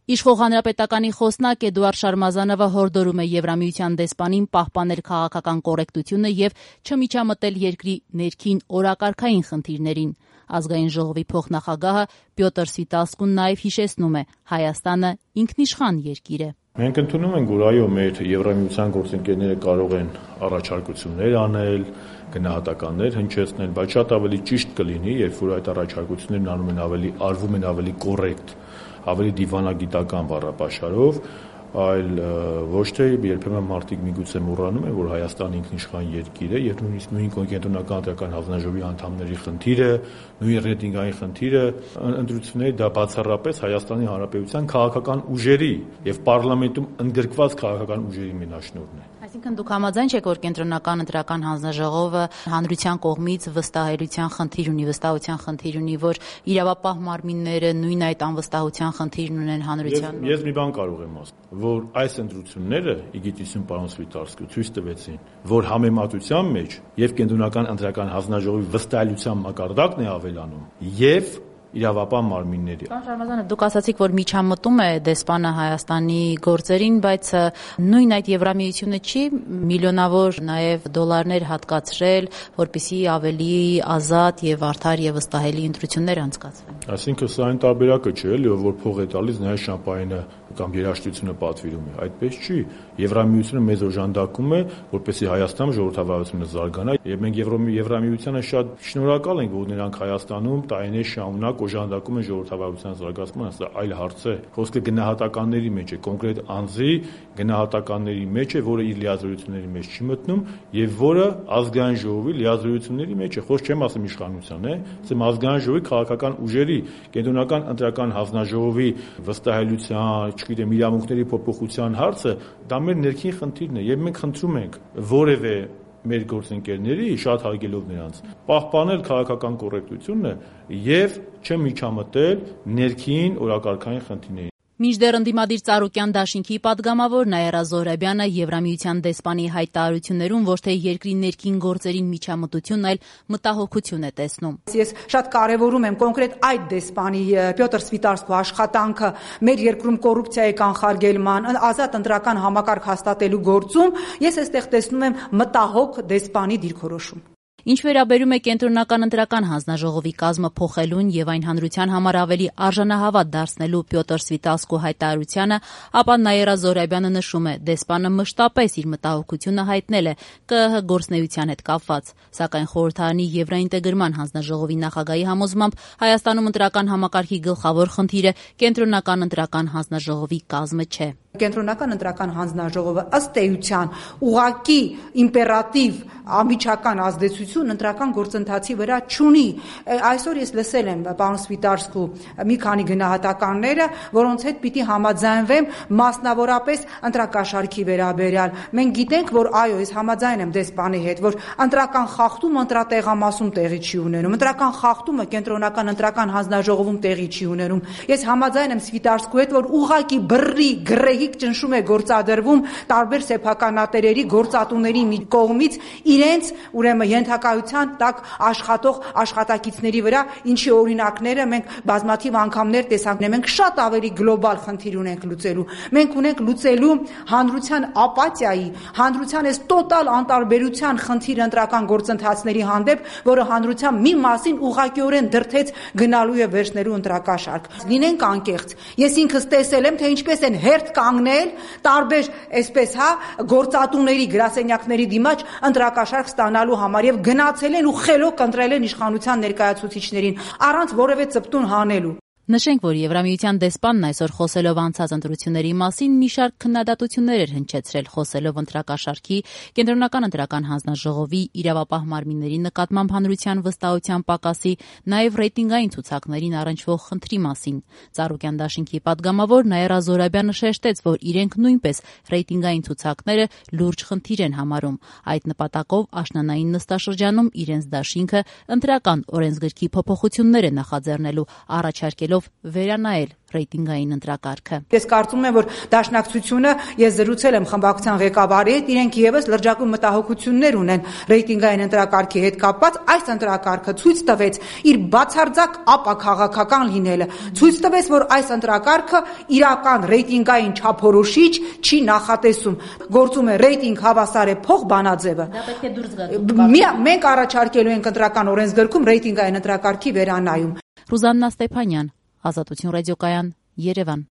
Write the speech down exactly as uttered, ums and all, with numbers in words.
Իշխող հանրապետականի խոսնակ Էդուարդ Շարմազանովը հորդորում է Եվրամիության դեսպանին պահպանել քաղաքական կոռեկտությունը եւ չմիջամտել երկրի ներքին օրակարգային խնդիրներին։ Ազգային ժողովի փոխնախագահը Պյոտր Սվիտասկուն նաեւ հիշեցնում է Հայաստանը ինքնիշխան երկիր է։ Մենք ընդունում ենք, որ այո, մեր Եվրամիության գործընկերները կարող են առաջարկություններ անել, գնահատականներ հնչեցնել, բայց շատ ավելի ճիշտ կլինի, երբ որ այդ առաջարկություններն անում են ավելի արվում են ավելի կոռեկտ, ավելի դիվանագիտական բառապաշարով, այլ ոչ թե երբեմն մարդիկ միգուցե մոռանում են, որ Հայաստանը ինքնիշխան երկիր է եւ նույնիսկ նույն կենտրոնական ընտրական հանձնաժողովի անդամների խնդիրը, նույն ռեյտինգային խնդիրը ընտրությունների դա բացառապես Հայաստանի Հանրապետության քաղաքական ուժերի եւ պարլամենտում ընդգրկված քաղաքական ուժերի մենաշնորհն է։ Այսինքն դուք համաձայն չեք, որ կենտրոնական ընտրական հանձնաժողովը հանրության կողմից վստահելիության խնդիր ունի, վստահության խնդիր ունի, որ իրավապահ մարմինները նույն այդ անվստահության խնդիրն ունեն հանրության։ Ես մի բան կարող եմ ասել, որ այս ընտրությունները իգիտիսյուն պարոն Սվիտարսկու ցույց տվեցին, որ համեմատության մեջ եւ կենտրոնական ընտրական հանձնաժողովի վստահելիության մակարդակն է ավելանում եւ իրավապահ մարմինների։ Պարոն Շարմազանով, դուք ասացիք, որ միջամտում է դեսպանը Հայաստանի գործերին, բայց նույն այդ Եվրամիությունը չի միլիոնավոր նաև դոլարներ հատկացրել, որպեսզի ավելի ազատ եւ արդար եւ վստահելի ընտրություններ անցկացվեն։ Այսինքն սա այն տարբերակը չէ, էլի, որ փող է տալիս, նայած շամպայինը կամ երաժշտությունը պատվիրում է։ Այդպես չի։ Եվրամիությունը մեզ օժանդակում է, որպեսզի Հայաստանում ժողովրդավարությունը զարգանա, եւ մենք Եվրամիությանը շատ շնորհակալ ենք, որ նրանք Հայաստանում տարիներ շարունակ օժանդակում են ժողովրդավարության զարգացմանը, սա այլ հարց է։ Խոսքը գնահատականների մեջ է, կոնկրետ անձի գնահատականների մեջ է, որը իր լիազորությունների մեջ չի մտնում եւ որը ազգային ժողովի լիազորությունների մեջ է։ Խոսք չեմ ասում իշխանության, է, ասեմ ազգային ժողովի քաղաքական ուժերի, կենտրոնական ընտրական հանձնաժողովի վստահելիության, չգիտեմ, իրավունքների փոփոխության հարցը, դա մեր ներքին խնդիրն է եւ մենք խնդրում ենք որևէ մեր գործընկերների շատ հարգելով նրանց պահպանել քաղաքական կոռեկտությունը եւ չմիջամտել ներքին օրակարգային խնդիրներին։ Մինչդեռ ընդդիմադիր Ծառուկյան դաշինքի պատգամավոր Նաիրա Զոհրաբյանը Եվրամիության դեսպանի հայտարարություններում ոչ թե երկրի ներքին գործերին միջամտություն, այլ մտահոգություն է տեսնում։ Ես շատ կարևորում եմ կոնկրետ այդ դեսպանի Պյոտր Սվիտարսկու աշխատանքը մեր երկրում կոռուպցիայի կանխարգելման, ազատ ընտրական համակարգ հաստատելու գործում, ես այստեղ տեսնում եմ մտահոգ դեսպանի դիրքորոշում։ Ինչ վերաբերում է կենտրոնական ընտրական հանձնաժողովի կազմը փոխելուն եւ այն հանրության համար ավելի արժանահավատ դարձնելու Պյոտր Սվիտասկու հայտարարությանը, ապա Նաիրա Զոհրաբյանը նշում է, դեսպանը մշտապես իր մտահոգությունը հայտնել է Կ ԸՀ գործնեության հետ կապված, սակայն խորհրդարանի Եվրաինտեգրման հանձնաժողովի նախագահի համոզմամբ Հայաստանում ընտրական համակարգի գլխավոր խնդիրը կենտրոնական ընտրական հանձնաժողովի կազմը չէ։ Կենտրոնական ընտրական հանձնաժողովը ըստ էության ուղղակի իմպերատիվ ամիջական ազդեցություն ընտրական գործընթացի վրա չունի։ Այսօր ես լսել եմ պարոն Սվիտարսկու մի քանի գնահատականները, որոնց հետ պիտի համաձայնվեմ մասնավորապես ընտրակաշարքի վերաբերյալ։ Մենք գիտենք, որ այո, ես համաձայն եմ դեսպանի հետ, որ ընտրական խախտումը ընտրատեղամասում տեղի չի ունենում, ընտրական խախտումը կենտրոնական ընտրական հանձնաժողովում տեղի չի ունենում։ Ես համաձայն եմ Սվիտարսկու հետ, որ ուղղակի բռի գրեհիկ ճնշում է գործադրվում տարբեր սեփականատերերի գործատուների կողմից իրենց ուրեմն ենթակայության տակ աշխատող աշխատակիցների վրա, ինչի օրինակները մենք բազմաթիվ անգամներ տեսանք։ Մենք շատ ավելի գլոբալ խնդիր ունենք լուծելու։ Մենք ունենք լուծելու հանրության ապաթիայի, հանրության այս տոտալ անտարբերության խնդիր ընտրական գործընթացների հանդեպ, որը հանրության մի մասին ուղղակիորեն դրդեց գնալու եւ վերցնելու ընտրակաշարք։ Լինենք անկեղծ։ Ես ինքս տեսել եմ, թե ինչպես են հերթ կանգնել տարբեր այսպես հա գործատուների գրասենյակների դիմաց ընտրակաշարք ստանալու համար եւ գնացել են ու խելոք ընտրել են իշխանության ներկայացուցիչներին առանց որևէ ծպտուն հանելու։ Նշենք, որ Եվրամիության դեսպանն այսօր խոսելով անցած ընտրությունների մասին մի շարք քննադատություններ էր հնչեցրել, խոսելով ընտրակաշարքի, կենտրոնական ընտրական հանձնաժողովի, իրավապահ մարմինների նկատմամբ հանրության վստահության պակասի, նաև ռեյտինգային ցուցակներին առնչվող խնդրի մասին։ Ծառուկյան դաշինքի պատգամավոր Նաիրա Զոհրաբյանը շեշտեց, որ իրենք նույնպես ռեյտինգային ցուցակները լուրջ խնդիր են համարում։ Այդ նպատակով աշնանային նստաշրջանում իրենց դաշինքը ընտրական օրենսգրքի փոփոխություններ է նախաձեռնելու, առաջարկելով պահանջելով վերանայել ռեյտինգային ընտրակարգը։ Ես կարծում եմ, որ Դաշնակցությունը, ես զրուցել եմ խմբակցության ղեկավարի հետ, իրենք եւս լրջագույն մտահոգություններ ունեն ռեյտինգային ընտրակարգի հետ կապված, այս ընտրակարգը ցույց տվեց իր բացարձակ ապաքաղաքական լինելը, ցույց տվեց, որ այս ընտրակարգը իրական ռեյտինգային չափորոշիչ չի նախատեսում, գործում է ռեյտինգ հավասար է փող բանաձևը։ Դա պետք է դուրս գա։ Մենք առաջարկելու ենք ընտրական օրենսգրքում ռեյտինգային ընտրակարգի վերանայում։ Ռուզաննա Ստեփանյան, Ազատություն ռադիոկայան, Երևան։